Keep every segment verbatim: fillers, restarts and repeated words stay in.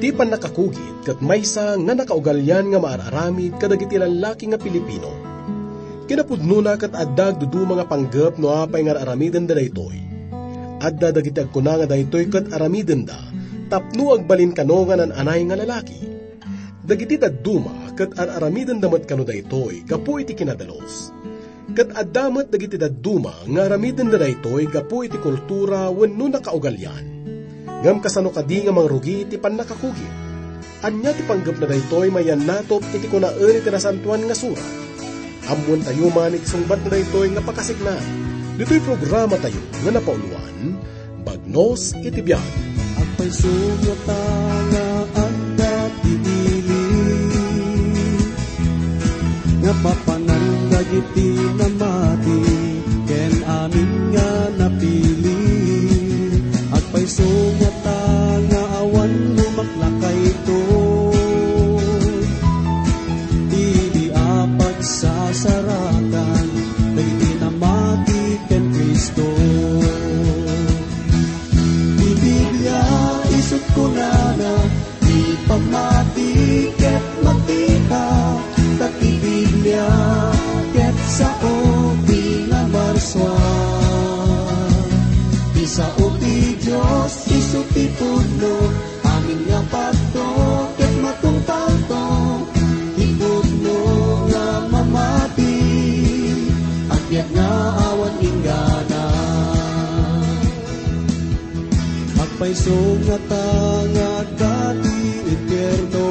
Ti pannakakugit ket maysa nga nakaugalian nga maar-aramid kadagiti lallaki nga Pilipino. Kinapudnona ket adda agduduma nga panggep no apay nga ar-aramidenda daytoy. Adda dagiti agkuna nga daytoy ket aramidenda tapno agbalin kano nga naan-anay nga lalaki. Dagiti dadduma ket ar-aramidenda met kano daytoy gapu iti kinadalus. Ket adda met dagiti dadduma nga aramidenda daytoy gapu iti kultura wenno nakaugalian. Ngem kasano kadi nga mangrugi iti pannakakugit? Ania ti panggepna daytoy mayannatop iti kunaen iti Nasantoan nga Surat? Ammoentayo man iti sungbatna daytoy nga pakasignan ditoy programatayo nga napauloan, Bagnos iti biag. Agpayso ngata nga adda ti ili nga papanan dagiti namati ken amin nga napili. Agpayso ngata nga awan lumaklakayto idi a pagsasaratan dagiti namati ken Cristo. Ti Biblia isut' kunana, ti pammati ket makita, ta ti Biblia ket sao ti namarsua. Ti sao ti Dios isu ti pudno, amin nga padto ket matungpalto, ti pudno nga mamati, agbiag nga awan inggana. Agpayso ngata nga adda ti impierno,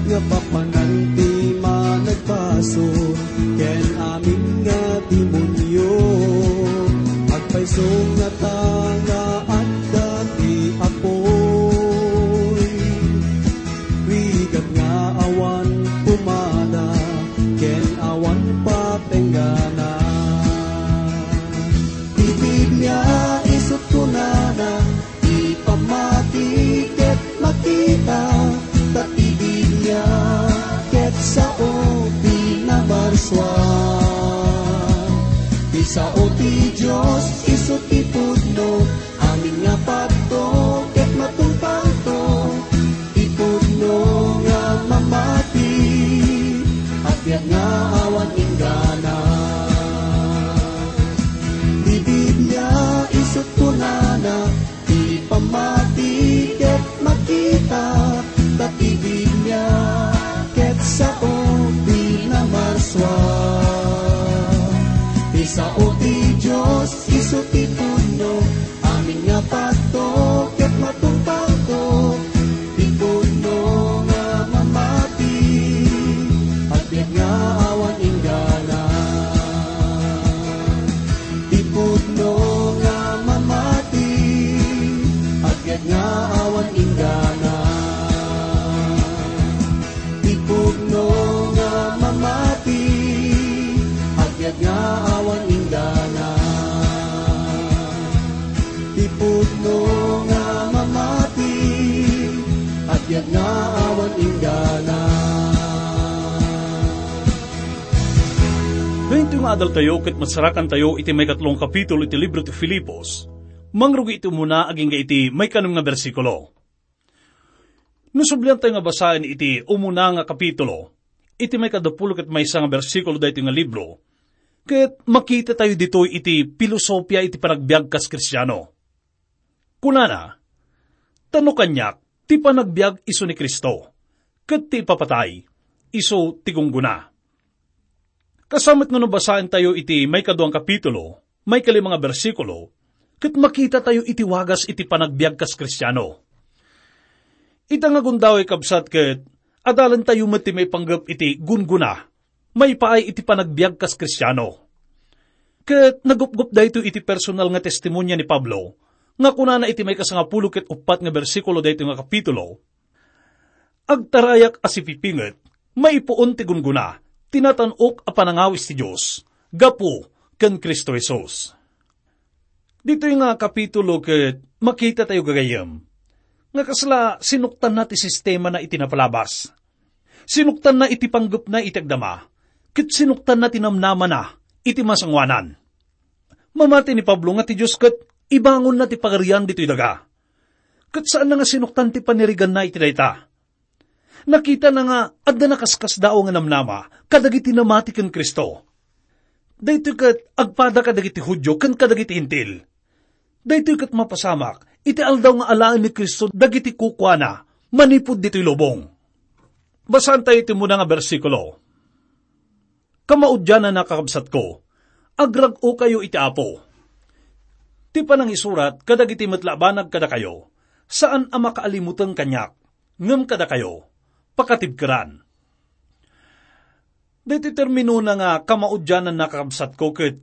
nga papanan ti managbasol ken amin nga demonio. Agpayso ngata nga adda ti apoy, rigat nga awan pumada ken awan patenggana. Ti Biblia isut' kunana, ti pammati ket makita, ta ti Biblia ket sao ti namarsua. Ti sao ti Dios isu ti pudno, amin nga padto ket matungpalto, ti pudno nga mamati, agbiag nga awan inggana. Ti Biblia isut' kunana, ti pammati ket makita, ta ti Biblia ket sao ti namarsua. Ti sao ti Dios isu ti pudno, amin nga padto ket matungpalto, ti pudno nga mamati, agbiag nga awan inggana. Ti pudno nga mamati, agbiag nga awan inggana. Ti pudno nga mamati, agbiag nga awan inggana. Ti pudno nga mamati, agbiag nga awan inggana. Daytoy nga adaltayo ket masarakantayo iti maikatlo nga kapitulo iti libro ti Filipos, mangrugi iti umuna agingga iti maikanem nga bersikulo. No subliantayo nga basaen iti umuna nga kapitulo, iti maikadapulo ket maysa nga bersikulo daytoy nga libro, ket makitatayo ditoy iti pilosopia iti panagbiag kas Kristiano. Kunana, "Ta no kaniak, ti panagbiag isu ni Cristo, ket ti ipapatay, isu ti gunggona." Kasamet nga no basaentayo iti maikadua nga kapitulo, maikalima nga bersikulo, ket makitatayo iti wagas iti panagbiag kas Kristiano. Ita nga gundaway, kabsat, ket adalentayo met ti maipanggep iti gunggona, maipaay iti panagbiag kas Kristiano. Ket nagupgop daytoy iti personal nga testimonia ni Pablo, nga kunana iti maikasangapulo ket uppat nga bersikulo daytoy nga kapitulo, "Agtarayak a sipipinget, maipuon ti gunggona, ti natan-ok a panangawis ti Dios, gapu ken Cristo Jesus." Ditoy nga kapitulo ket makitatayo, gagayyem, nga kasla sinuktanna ti sistemana iti napalabas. Sinuktanna iti panggepna iti agdama, ket sinuktanna ti namnamana iti masangoanan. Mamati ni Pablo nga ti Dios ket ibangonna ti pagarian ditoy daga. Ket saanna nga sinuktan ti paniriganna iti dayta. Nakitana nga adda nakaskasdaaw nga namnama kadagiti namati ken Cristo. Daytoy ket agpada kadagiti Judio ken kadagiti Hentil. Daytoy ket mapasamak iti aldaw nga alaen ni Cristo dagiti kukuana manipud ditoy lubong. Basaentayo iti umuna nga bersikulo. Kamaudiananna, kakabsatko, agrag-okayo iti Apo. Ti panangisurat kadagiti met la a banag kadakayo, saan a makaalimuteng kaniak, ngem kadakayo, pakatibkeran. Daytoy terminona nga kamaudiananna, kakabsatko, ket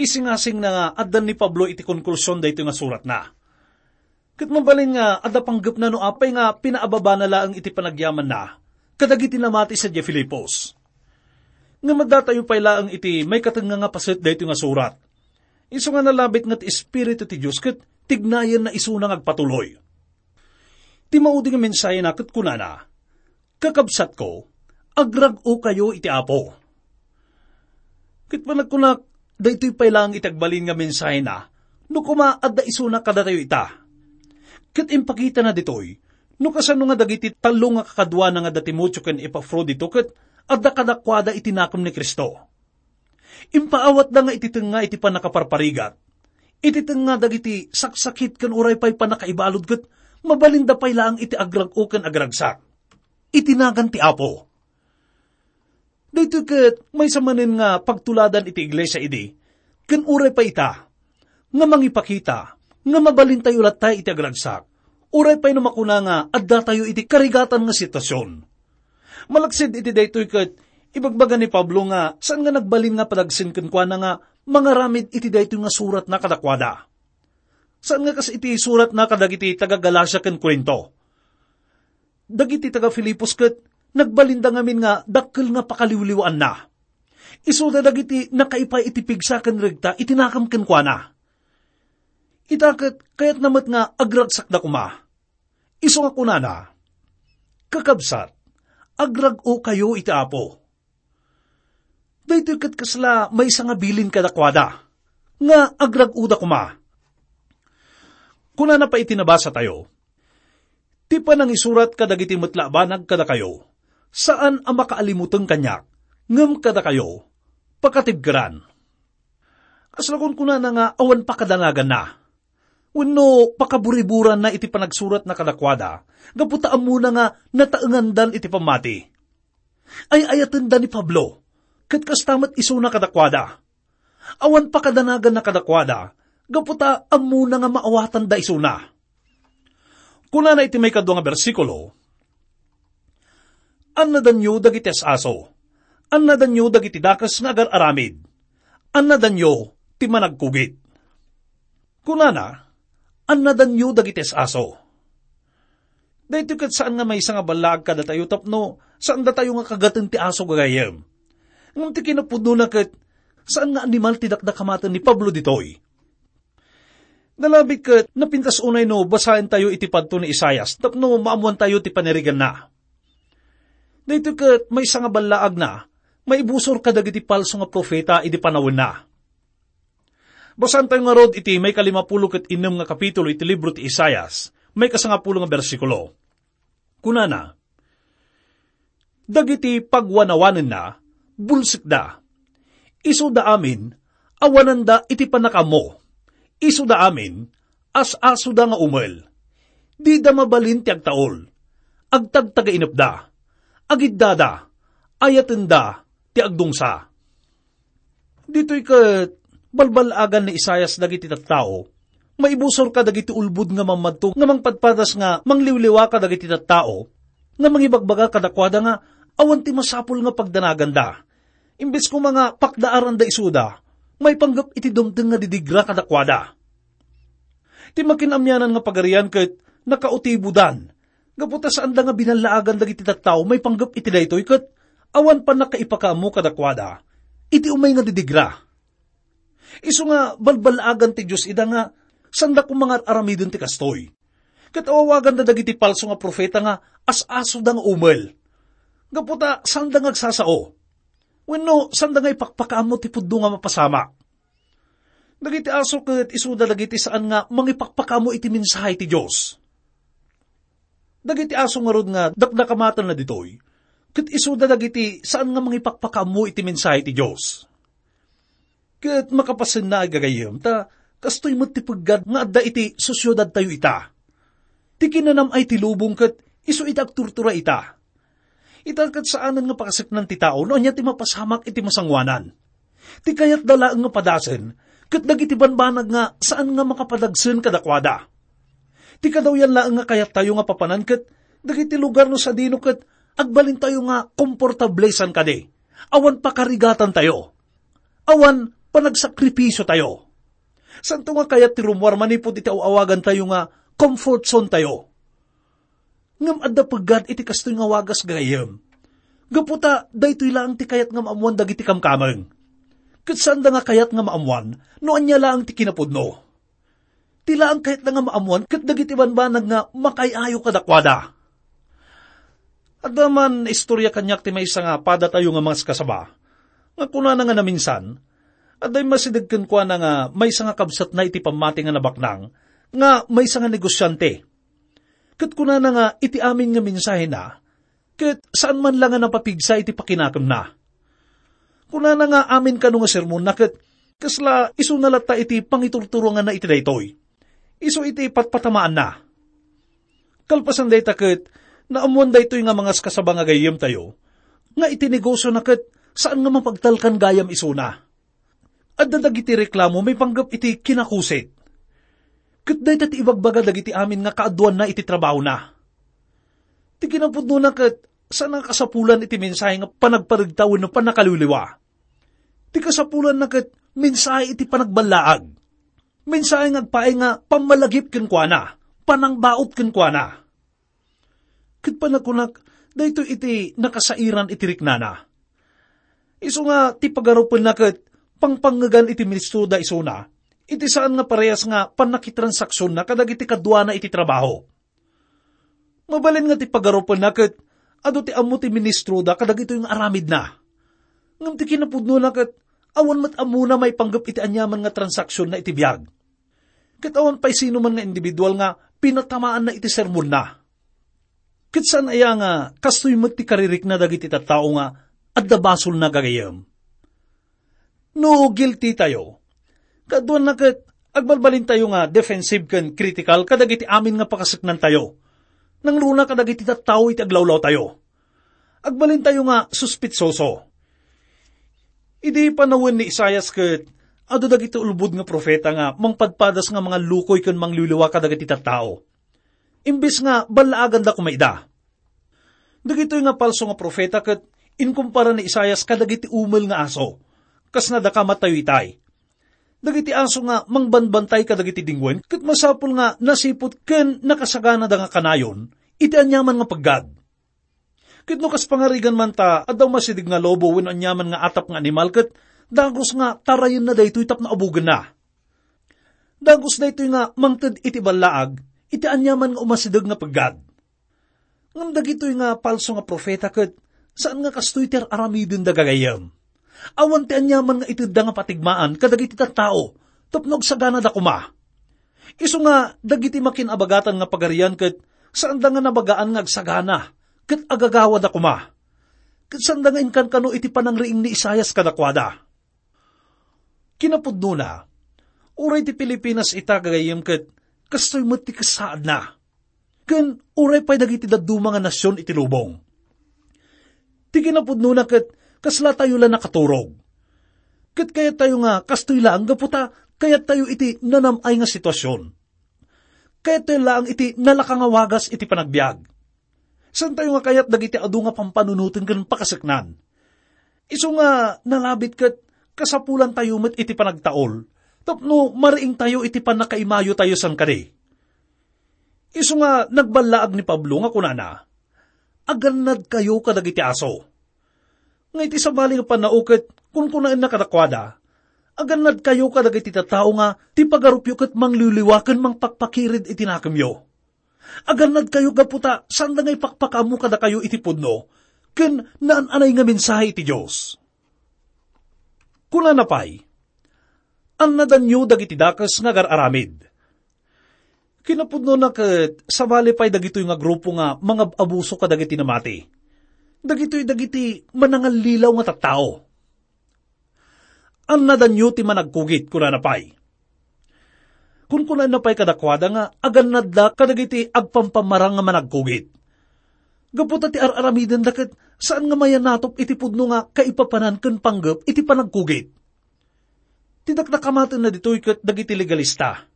isingasingna nga addan ni Pablo iti konklusion daytoy nga suratna. Ket mabalin nga adda panggepna no apay nga pinaababana laeng iti panagyamanna kadagiti namati sadiay Filipos. Ngem addatayo pay laeng iti maikatengnga nga paset daytoy nga surat. Isu nga nalabit nga ti Espiritu ti Dios ket tignayenna isuna nga agpatuloy. Ti maudi nga mensahena ket kunana, "Kakabsatko, agrag-okayo iti Apo." Ket panagkunak, daytoy pay laeng iti agbalin nga mensahena, no koma adda isuna kadatayo ita. Ket impakitana ditoy, no kasano nga dagiti tallo nga kakaduana nga da Timoteo ken Epafrodito ket adda kadakuada iti nakem ni Cristo. Impaawatda nga iti tengnga iti pannakaparparigat, iti tengnga dagiti saksakit ken uray pay pannakaibalud ket mabalinda pay laeng iti agrag-o ken agragsak iti nagan ti Apo. Daytoy ket maysa manen nga pagtuladan iti iglesia idi, ken uray pay ita, nga mangipakita nga mabalintayo latta iti agragsak, uray pay no makuna nga addatayo iti karigatan nga sitwasyon. Malaksid iti daytoy ket ibagbaga ni Pablo nga saan nga nagbalin nga padagsen kenkuana nga mangaramid iti daytoy nga suratna kadakuada. Saan nga kas iti suratna kadagiti taga-Galacia ken Corinto. Dagiti taga-Filipos ket nagbalinda ngamin nga dakkel nga pakaliwliwaanna. Isuda dagiti nakaipay iti pigsa ken regta iti nakem kenkuana. Ita ket kayatna met nga agragsakda koma. Isu nga kunana, "Kakabsat, agrag-okayo iti Apo." Daytoy ket kasla maysa nga bilin kadakuada, nga agrag-oda koma. Kunana pay iti nabasatayo, "Ti panangisurat kadagiti met la a banag kadakayo, saan a makaalimuteng kaniak, ngem kadakayo, pakatibkeran." Kasla kunkunana nga awan pakadanaganna wenno pakaburiburanna iti panagsuratna kadakuada, gapu ta ammona nga nataengandan iti pammati. Ay-ayatenda ni Pablo, ket kasta met isuna kadakuada. Awan pakadanaganna kadakuada, gapu ta ammona nga maawatanda isuna. Kunana iti maikadua nga bersikulo, "Annadanyo dagiti as-aso. Annadanyo dagiti dakes nga agar-aramid. Annadanyo ti managkugit." Kunana, "Annadanyo dagiti as-aso." Daytoy ket saan nga maysa nga ballaag kadatayo tapno saandatayo nga kagaten ti aso gagayyem. Ngem ti kinapudnona ket saan nga animal ti dakdakamaten ni Pablo ditoy. Nalabit ket napintas unay no basaentayo iti padto ni Isaias tapno maammoantayo ti paniriganna. Daytoy ket maysa nga ballaagna, maibusor kadagiti palso nga profeta idi panawenna. Basaentayo ngarud iti maikalimapulo ket innem nga kapitulo iti libro ti Isaias, maikasangapulo nga bersikulo. Kunana, "Dagiti pagwanawanenna, bulsekda. Isuda amin, awananda iti pannakaammo. Isuda amin, as-asoda nga umel. Dida mabalin ti agtaul. Agtagtagainepda. Agiddada. Ayatenda ti agdungsa." Ditoy ket balbal-agan ni Isaias dagiti tattao. Maibusor kadagiti ulbod nga mammadto nga mangpadpadas nga mangliwliwa kadagiti tattao, nga mangibagbaga kadakuada nga awan ti masapul nga pagdanaganda. Imbes koma nga pakdaaranda isuda, maipanggep iti dumteng nga didigra kadakuada. Ti Makin-Amianan nga Pagarian ket nakautibodan, gapu ta saanda nga binallaagan dagiti tattao maipanggep iti daytoy ket awan pannakaipakaammo kadakuada iti umay nga didigra. Isu nga balbal-agan ti Dios ida nga sanda koma nga ar-aramiden ti kastoy. Ket awawaganda dagiti palso nga profeta nga as-asoda nga umel. Gapu ta sanda nga agsasao. Wenno sanda nga ipakpakaammo ti pudno nga mapasamak. Dagiti aso ket isuda dagiti saan nga mangipakpakaammo iti mensahe ti Dios. Dagiti aso ngarud nga dakdakamatenna ditoy, ket isuda dagiti saan nga mangipakpakaammo iti mensahe ti Dios. Ket makapasenna, ay gagayyem, ta kastoy met ti peggad nga adda iti sosiedadtayo ita. Ti kinanam-ay ti lubong ket isu iti agturtura ita. Ita ket saanen nga pakaseknan ti tao no ania ti mapasamak iti masangoanan. Ti kayatda laeng nga padasen ket dagiti banbanag nga saan nga makapadagsen kadakuada. Ti kadawyan laeng nga kayattayo nga papanan ket dagiti lugar no sadino ket agbalintayo nga komportable san kadi. Awan pakarigatantayo. Awan panagsakripisiotayo. Santo nga kayat ti rummuar manipud iti aw-awagantayo nga comfort zone tayo. Ngem adda peggad iti kastoy nga wagas, gagayyem. Gapu ta daytoy laeng ti kayat nga maammoan dagiti kamkameng. Ket saanda nga kayat nga maammoan no ania laeng ti kinapudno. Ti laeng kayatda nga maammoan ket dagiti banbanag nga makaay-ayo kadakuada. Adda man istorya kaniak ti maysa nga padatayo nga mangaskasaba, nga kunana nga naminsan, adda immasideg kenkuana nga maysa nga kabsatna iti pammati nga nabaknang, nga maysa nga negosiante. Ket kunana nga iti amin nga mensahena, ket saan man la nga napapigsa iti pakinakemna. Kunana nga amin kano nga sermonna ket kasla isuna latta iti pangiturturonganna iti daytoy. Isu iti patpatamaanna. Kalpasan dayta ket, naammoan daytoy nga mangaskasaba nga gayyemtayo, nga iti negosiona ket saan nga mapagtalkan gayam isuna. Adda dagiti reklamo maipanggep iti kinakusit. Ket dayta ti ibagbaga dagiti amin nga kaaduanna iti trabahona. Ti kinapudnona ket saan nga kasapulan iti mensahe nga panagparegta wenno pannakaliwliwa. Ti kasapulanna ket mensahe iti panagballaag. Mensahe nga agpaay nga pammalagip kenkuana, panangbaut kenkuana. Ket panagkunak, daytoy iti nakasairan iti riknana. Isu nga ti pagarupenna ket pangpangngegan iti ministroda isuna, iti saan nga parehas nga pannakitransaksionna kadagiti kaduana iti trabaho. Mabalin nga ti pagarupenna ket adu ti ammo ti ministroda kadagitoy nga aramidna. Ngem ti kinapudnona ket awan met ammona maipanggep iti aniaman nga transaksionna iti biag. Ket awan pay sinuman nga individual nga pinatamaanna iti sermonna. Ket saan aya nga kastoy met ti karirikna dagiti tattao nga adda basolna, gagayyem? No guilty tayo, kaduanna ket agbalbalintayo nga defensive ken critical kadagiti amin nga pakaseknantayo. Nangruna kadagiti tattao iti aglawlawtayo. Agbalintayo nga suspetsoso. Idi panawen ni Isaias ket adu dagiti ulbod nga profeta nga mangpadpadas nga mangallukoy ken mangliwliwa kadagiti tattao. Imbes nga ballaaganda koma ida. Dagitoy nga palso nga profeta ket inkumpara ni Isaias kadagiti umel nga aso, kas nadakamat tayo itay. Dagiti aso nga mangbanbantay kadagiti dingwen ket masapul nga nasiput ken nakasaganada nga kanayon iti aniaman nga peggad. Ket no kas pangarigan man ta adda umasideg nga lobo wenno aniaman nga atap nga animal ket dagus nga tarayenna daytoy tapno abugenna. Dagus daytoy nga mangted iti ballaag iti aniaman nga umasideg nga peggad. Ngem dagitoy nga palso nga profeta ket saan nga kastoy ti ar-aramidenda, gagayyem. Awan ti aniaman nga itedda nga patigmaan kadagiti tattao tapno agsaganada koma. Isu nga dagiti makin-abagatan nga pagarian ket saanda nga nabagaan nga agsagana ket agagawada koma. Ket saanda nga inkankano iti panangriing ni Isaias kadakuada. Kinapudnona, uray ti Pilipinas ita, gagayyem, ket kastoy met ti kasaadna. Ken uray pay dagiti dadduma nga nasion iti lubong. Ti kinapudnona ket kaslatayo la nakaturog. Ket kayattayo nga kastoy laeng gapu ta kayattayo iti nanam-ay nga situasion. Kayattayo laeng iti nalaka nga wagas iti panagbiag. Saantayo nga kayat dagiti adu nga pampanunoten ken pakaseknan. Isu nga nalabit ket kasapulantayo met iti panagtaol tapno mariingtayo iti pannakaimayotayo san kadi. Isu nga nagballaag ni Pablo nga kunana, "Agannadkayo kadagiti aso." Nga iti sabali nga pannao ket kunkunaenna kadakuada, "Agannadkayo kadagiti tattao nga ti pagarupyo ket mangliwliwa ken mangpakpakired iti nakemyo. Agannadkayo gapu ta saanda nga ipakpakaammo kadakayo iti pudno ken naan-anay nga mensahe iti Dios." Kunana pay, "Annadanyo dagiti dakes nga agar-aramid." Kinapudnona ket sabali pay dagitoy nga grupo nga mangab-abuso kadagiti namati. Dagitoy dagiti manangallilaw nga tattao. "Annadanyo ti managkugit," kunana pay. Kunkunana pay kadakuada nga agannadda kadagiti agpampamarang nga managkugit. Gapu ta ti ar-aramidenda ket saan nga mayanatop iti pudno nga kaipapanan ken panggep iti panagkugit. Ti dakdakamatenna ditoy ket dagiti legalista.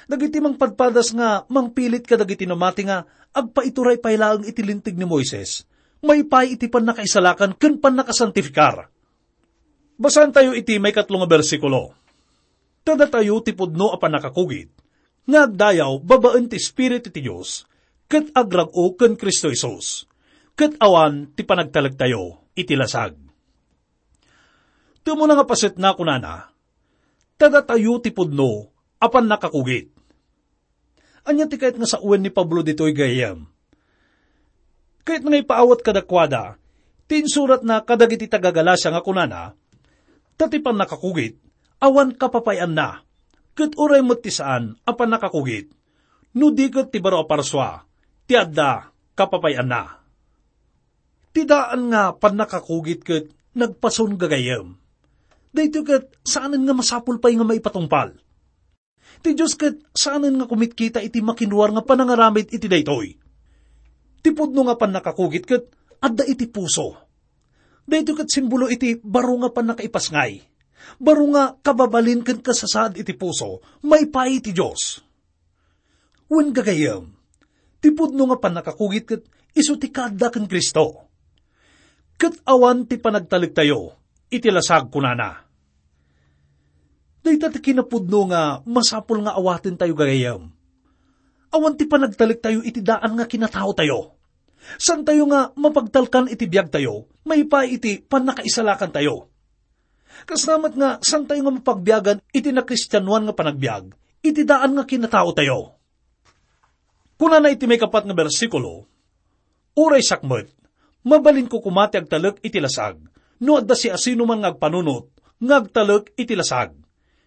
Dagiti mangpadpadas nga mangpilit kadagiti namati nga agpaituray pay laeng iti Linteg ni Moises, maipaay iti pannakaisalakan ken pannakasantifikar. Basaentayo iti maikatlo nga bersikulo. Ta datayo ti pudno a pannakakugit, nga agdayaw babaen ti Espiritu ti Dios, ket agrag-o ken Cristo Jesus, ket awan ti panagtalektayo iti lasag. Ti umuna nga pasetna, kunana, "Ta datayo ti pudno a pannakakugit." Ania ti kayat nga sawen ni Pablo ditoy, gayyem? Kayatna nga ipaawat kadakuada ti insuratna kadagiti taga-Galacia nga kunana, "Ta ti pannakakugit, awan kapapay-anna, ket uray met ti saan a pannakakugit, no di ket ti baro a parsua ti adda kapapay-anna." Ti daan nga pannakakugit ket nagpason, gagayyem. Daytoy ket saanen nga masapul pay nga maipatungpal. Ti Dios ket saanen nga kumitkita iti makinruar nga panangaramid iti daytoy. Ti pudno nga pannakakugit ket adda iti puso. Daytoy ket simbolo iti baro nga pannakaipasngay, baro nga kababalin ken kasasaad iti puso maipaay iti Dios. Wen, gagayyem, ti pudno nga pannakakugit ket isu ti kaadda ken Cristo. Ket awan ti panagtalektayo iti lasag, kunana. Dayta ti kinapudno nga masapul nga awatentayo, gagayyem. Awan ti panagtalektayo iti daan nga kinataotayo. Saantayo nga mapagtalkan iti biagtayo maipaay iti pannakaisalakantayo. Kasla met nga saantayo nga mapagbiagan iti nakristianoan nga panagbiag iti daan nga kinataotayo. Kunana iti maikapat nga bersikulo, "Uray siak met, mabalinko koma ti agtalek iti lasag, no adda siasinoman nga agpanunot nga agtalek iti lasag.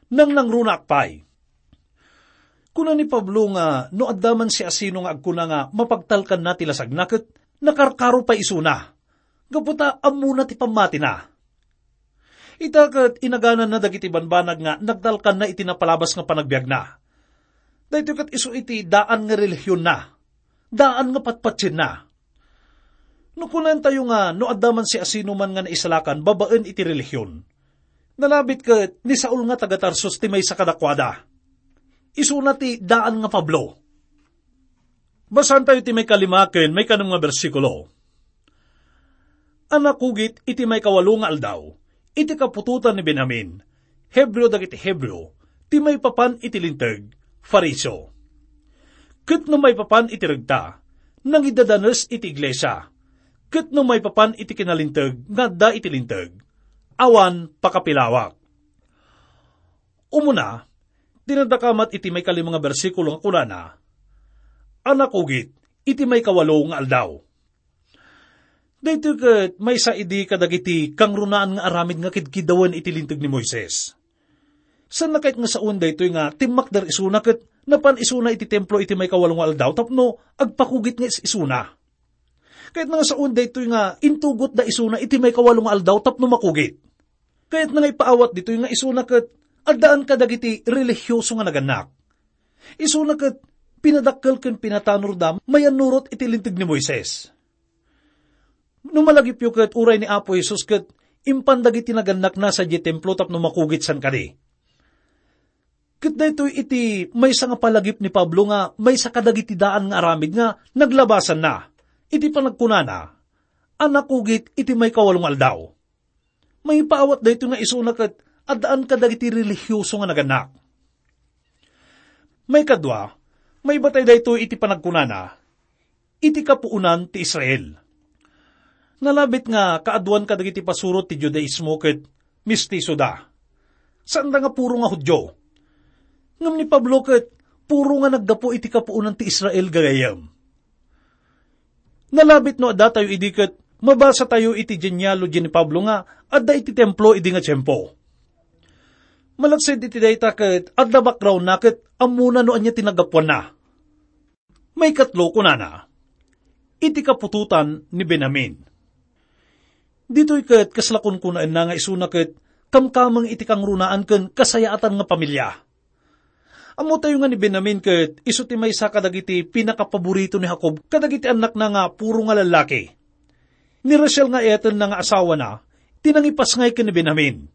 Nangnangrunaak pay." Kuna ni Pablo nga no adda man siasino nga agkuna nga mapagtalkanna ti lasagna ket nakarkaro pay isuna, gapu ta ammona ti pammatina. Ita ket inagananna dagiti banbanag nga nagtalkanna iti napalabas nga panagbiagna. Daytoy ket isu iti daan nga relihionna, daan nga patpatienna. No kunantayo nga no adda man siasinoman nga naisalakan babaen iti relihion, nalabit ket ni Saul nga taga-Tarsus ti maysa kadakuada. Isuna ti daan nga Pablo. Basaentayo ti maikalima ken maikanem nga bersikulo. A nakugit iti maikawalo nga aldaw, iti kaputotan ni Benjamin, Hebreo dagiti Hebreo, ti maipapan iti Linteg, Fariseo. Ket no maipapan iti regta, nangidadanes iti iglesia. Ket no maipapan iti kinalinteg nga adda iti Linteg, awan pakapilawak. Umuna, dinadakamat iti maikalima nga bersikulo nga kunana, "A nakugit iti maikawalo nga aldaw." Daytoy ket maysa idi kadagiti kangrunaan nga aramid nga kidkidawen iti Linteg ni Moises. Saanna ket nga sawen daytoy nga timmakder isuna ket napan isuna iti templo iti maikawalo nga aldaw tapno agpakugit nga is-isuna. Kayatna nga sawen daytoy nga intugotda isuna iti maikawalo nga aldaw tapno makugit. Kayatna nga ipaawat ditoy nga isuna ket addaan kadagiti relihioso nga nagannak. Isuna ket pinadakkel ken pinatanorda mayannurot iti Linteg ni Moises. No malagipyo ket uray ni Apo Jesus ket impan dagiti nagannakna sadiay templo tapno makugit san kadi. Ket daytoy iti maysa nga palagip ni Pablo nga maysa kadagiti daan nga aramid nga naglabasanna iti panagkunana, "A nakugit iti maikawalo nga aldaw." Maipaawat daytoy nga isuna ket addaan kadagiti relihioso nga nagannak. Maikadua, maibatay daytoy iti panagkunana, "Iti kapuonan ti Israel." Nalabit nga kaaduan kadagiti pasurot ti Judaismo ket mestisoda. Saanda nga puro nga Judio. Ngem ni Pablo ket puro nga naggapu iti kapuonan ti Israel, gagayyem. Nalabit no addatayo idi ket mabasatayo iti genealogy ni Pablo nga adda iti templo idi nga tiempo. Malaksid iti dayta ket adda backgroundna ket ammona no ania ti naggapuanna. Maikatlo, kunana, iti kaputotan ni Benjamin. Ditoy ket kasla kunkunaenna nga isuna ket kamkameng iti kangrunaan ken kasayaatan nga pamilia. Ammotayo nga ni Benjamin ket isu ti maysa kadagiti pinakapaborito ni Jacob kadagiti annakna nga puro nga lallaki. Ni Rachel nga eyatenna nga asawana ti nangipasngay ken ni Benjamin,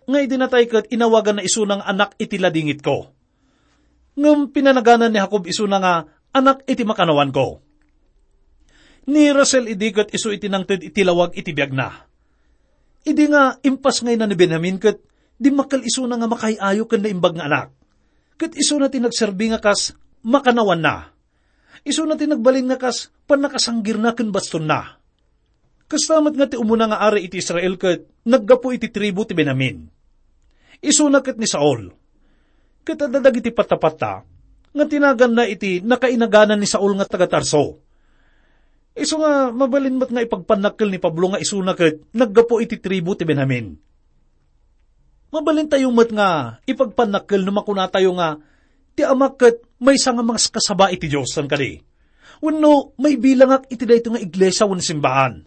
nga idi natay ket inawaganna isuna nga anak iti ladingitko. Ngem pinanaganan ni Jacob isuna nga anak iti makanawanko. Ni Rachel idi ket isu iti nangted iti lawag iti biagna. Idi nga impasngayna ni Benjamin ket dimmakkel isuna nga makaay-ayo ken naimbag nga anak. Ket isuna ti nagserbi nga kas makanawanna. Isuna ti nagbalin nga kas pannakasanggirna ken bastonna. Kasta met nga ti umuna nga ari iti Israel ket naggapu iti tribu ti Benjamin. Isuna ket ni Saul. Ket adda dagiti pattapatta nga tinaganna iti nakainaganan ni Saul nga taga-Tarso. Isu nga mabalin met nga ipagpannakkel ni Pablo nga isuna ket naggapu iti tribu ti Benjamin. Mabalintayo met nga ipagpannakkel no makunatayo nga ti amak ket maysa nga maskasaba iti Dios, saan kadi? Wenno maibilangak iti daytoy nga iglesia wenno simbaan?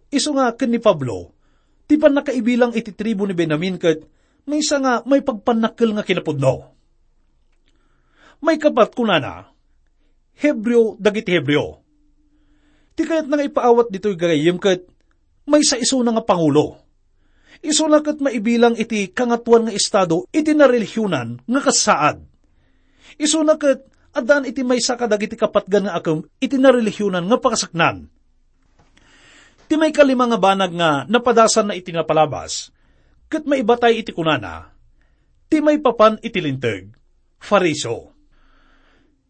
Isu nga ken ni Pablo, ti pannakaibilang iti tribu ni Benjamin ket maysa nga maipagpannakkel nga kinapudno. Maikapat, kunana, Hebreo dagiti Hebreo. Ti kayatna nga ipaawat ditoy gagayyem ket maysa isuna nga pangulo. Isuna ket maibilang iti kangatoan nga estado iti narelihiyonan nga kassaad. Isuna ket addaan iti maysa kadagiti kapatgan nga akem iti narelihiyonan nga pakasaknan. Ti maikalima nga banag nga napadasanna iti napalabas, ket maibatay iti kunana, ti maipapan iti Linteg, Fariseo.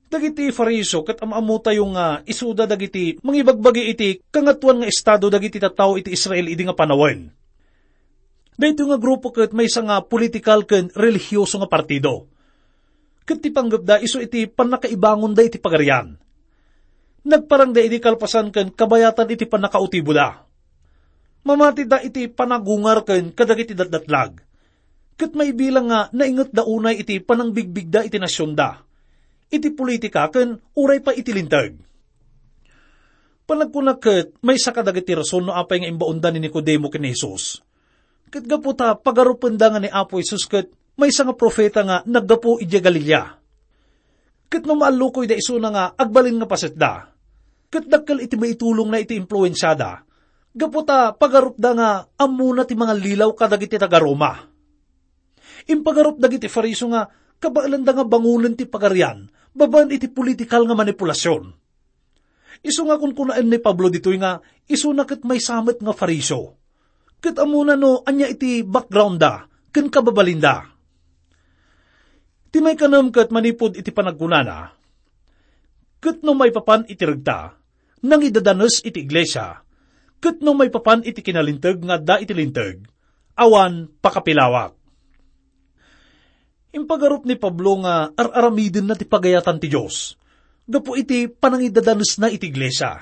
Dagiti Fariseo ket am-ammotayo nga isuda dagiti mangibagbagi iti kangatoan nga estado dagiti tattao iti Israel idi nga panawen. Daytoy nga grupo ket maysa nga politikal ken relihioso nga partido. Ket ti panggepda isu iti pannakaibangonda iti pagarian. Nagparangda idi kalpasan ken kabayatan iti pannakautiboda. Mamatida iti panagungar ken kadagiti datdatlag. Ket maibilang nga naingetda unay iti panangbigbigda iti nasionda, iti politika ken uray pay iti Linteg. Panagkunak ket maysa kadagiti rason no apay nga imbaonda ni Nicodemo ken ni Jesus. Ket gapu ta pagarupenda nga ni Apo Jesus ket maysa nga profeta nga naggapu idiay Galilea. Ket no maallukoyda isuna nga agbalin nga pasetda, ket dakkel iti maitulongna iti impluensiada, gapu ta pagarupda nga ammona ti mangallilaw kadagiti taga-Roma. Impagarup dagiti Fariseo nga kabaelanda nga bangonen ti pagarian babaen iti politikal nga manipulasion. Isu nga kunkunaen ni Pablo ditoy nga isuna ket maysa met nga Fariseo. Ket ammona no ania iti background-da ken kababalinda. Ti maikanem ket manipud iti panagkunana, ket no maipapan iti regta, nangidadanes iti iglesia, ket no maipapan iti kinalinteg nga adda iti Linteg, awan pakapilawak. Impagarup ni Pablo nga ar-aramidenna ti pagayatan ti Dios gapu iti panangidadanesna iti iglesia.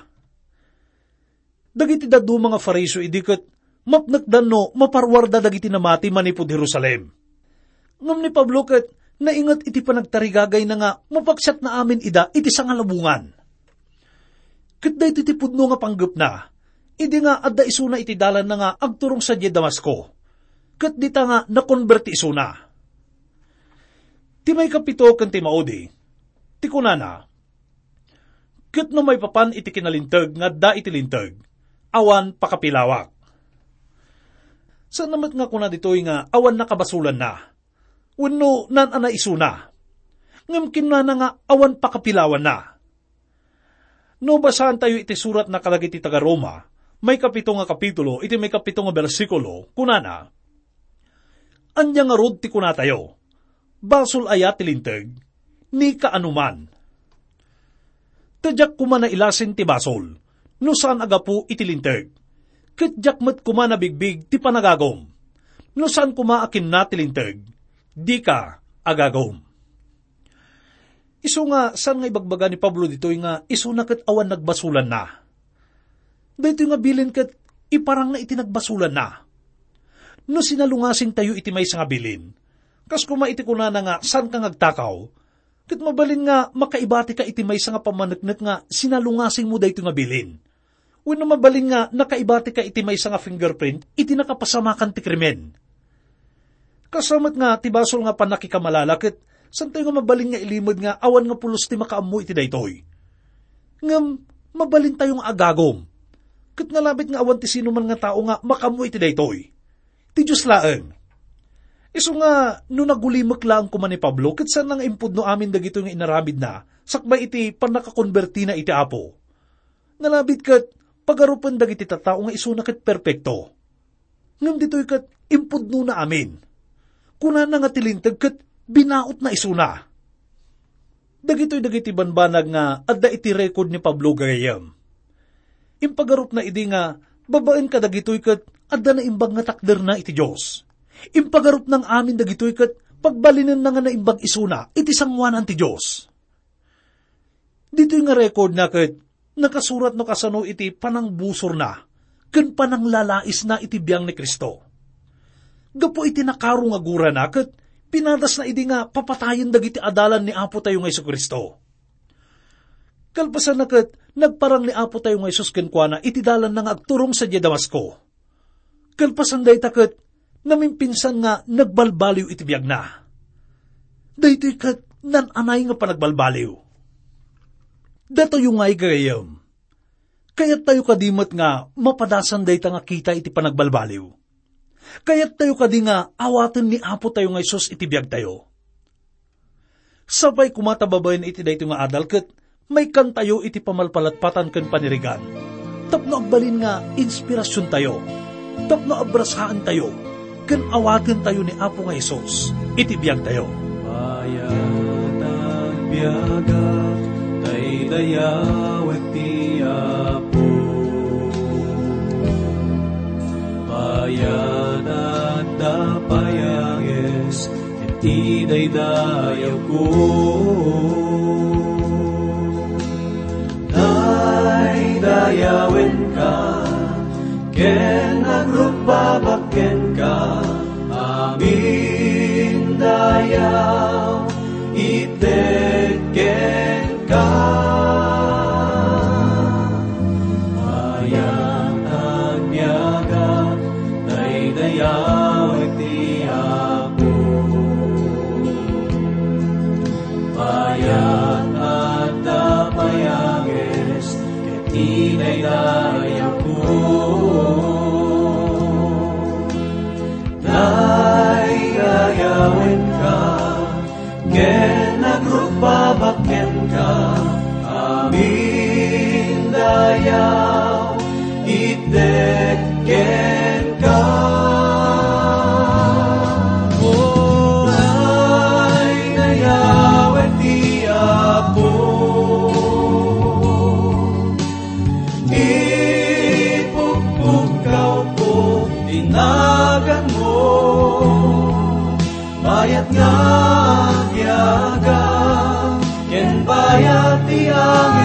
Dagiti dadduma nga Fariseo idi ket mapnekdan no maparuarda dagiti namati manipud Jerusalem. Ngem ni Pablo ket nainget iti panagtarigagayna nga mapaksiatna amin ida iti sangalubongan. Ket daytoy ti pudno nga panggepna, idi nga adda isuna iti dalanna nga agturong sadiay Damasco, ket dita nga nakonberti isuna. Ti maikapito ken ti maudi, ti kunana, ket no maipapan iti kinalinteg nga adda iti Linteg, awan pakapilawak. Saan met nga kuna ditoy nga awan nakabasolanna, wenno naan-anay isuna. Ngem kinunana nga awan pakapilawanna. No basaantayo iti suratna kadagiti taga-Roma, maikapito nga kapitulo, iti maikapito nga bersikulo, kunana, "Ania ngarud ti kunatayo? Basol aya ti Linteg? Ni kaano man? Ta diak koma nailasin ti basol, no saan a gapu iti Linteg. Ket diak met koma nabigbig ti panagagum, no saan koma a kinuna ti Linteg, 'Dika agagum.'" Isu nga saan nga ibagbaga ni Pablo ditoy nga isuna ket awan nagbasolanna. Daytoy nga bilin ket iparangna iti nagbasolanna. No sinalungasingtayo iti maysa nga bilin, kas koma iti kunana nga saanka nga agtakaw, Ket mabalin nga makaibatika iti maysa nga pammaneknek nga sinalungasingmo daytoy nga bilin. Wenno mabalin nga nakaibatika iti maysa nga fingerprint iti nakapasamakan ti krimen. Kasla met nga ti basol nga pannakikamalala ket santayo nga mabalin nga ilimed nga awan nga pulos ti makaammo iti daytoy. Ngem mabalintayo nga agagum. Ket nalabit nga awan ti sinuman nga tao nga makaammo iti daytoy. Ti Dios laeng. Isu nga no nagulimek laeng koma ni Pablo ket saan nga impudno amin dagitoy nga inaramidna sakbay iti pannakakonbertina iti Apo. Nalabit ket pagarupen dagiti tattao nga isuna ket perpekto. Ngem ditoy ket impudnona amin. Kunana nga ti Linteg ket binautna isuna. Dagitoy dagiti banbanag nga adda iti record ni Pablo gagayyem. Impagarupna idi nga babaen kadagitoy ket adda naimbag nga takderna iti Dios. Impagarupna nga amin dagitoy ket pagbalinenna nga naimbag isuna iti sangoanan ti Dios. Ditoy nga record na ket nakasurat no kasano iti panangbusorna ken pananglalaisna iti biang ni Cristo. Gapu iti nakaro nga gurana ket pinadasna idi nga papatayen dagiti adalan ni Apo tayo nga Jesu-Cristo. Kalpasanna ket nagparang ni Apo tayo nga Jesus kenkuana iti dalanna nga agturong sadiay Damasco. Kalpasan dayta ket namimpinsan nga nagbalbaliw iti biagna. Daytoy ket naan-anay nga panagbalbaliw. Datayo ngay gagayyem, kayattayo kadi met nga mapadasan dayta nga kita iti panagbalbaliw? Kayattayo kadi nga awaten ni Apo tayo nga Jesus iti biagtayo? Sapay koma ta babaen iti daytoy nga adal ket maikkantayo iti pamalpalatpatan ken panirigan tapno agbalin nga inspirasiontayo, tapno abrasaentayo ken awatentayo ni Apo nga Jesus iti biagtayo. Mayat a biagak, daydayawek ti Apo. Mayat a adda pay a ges iti daydayawko. Daydayawenka ken agrupabak kenka, amin dayaw ited kenka. Mayat a biagak, daydayawek ti Apo. Mayat a adda pay a ges ket ti daydayawko. Daydayawenka ken agrupabak kenka, amin dayaw ited kenka. O, daydayawek ti Apo. Ipukpukawko ti naganmo. Mayat nga agbiagak ken bayat ti angel.